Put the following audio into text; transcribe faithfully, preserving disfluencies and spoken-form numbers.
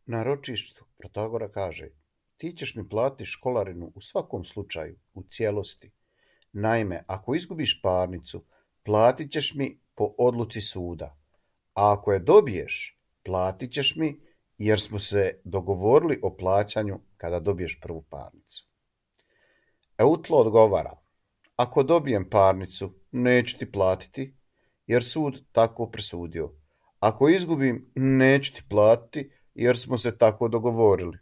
Na ročištu Protagora kaže: "Ti ćeš mi platiti školarinu u svakom slučaju, u cijelosti. Naime, ako izgubiš parnicu, platit ćeš mi po odluci suda, a ako je dobiješ, platit ćeš mi jer smo se dogovorili o plaćanju kada dobiješ prvu parnicu." Eutlo odgovara: "Ako dobijem parnicu, neću ti platiti, jer sud tako presudio. Ako izgubim, neću ti platiti, jer smo se tako dogovorili."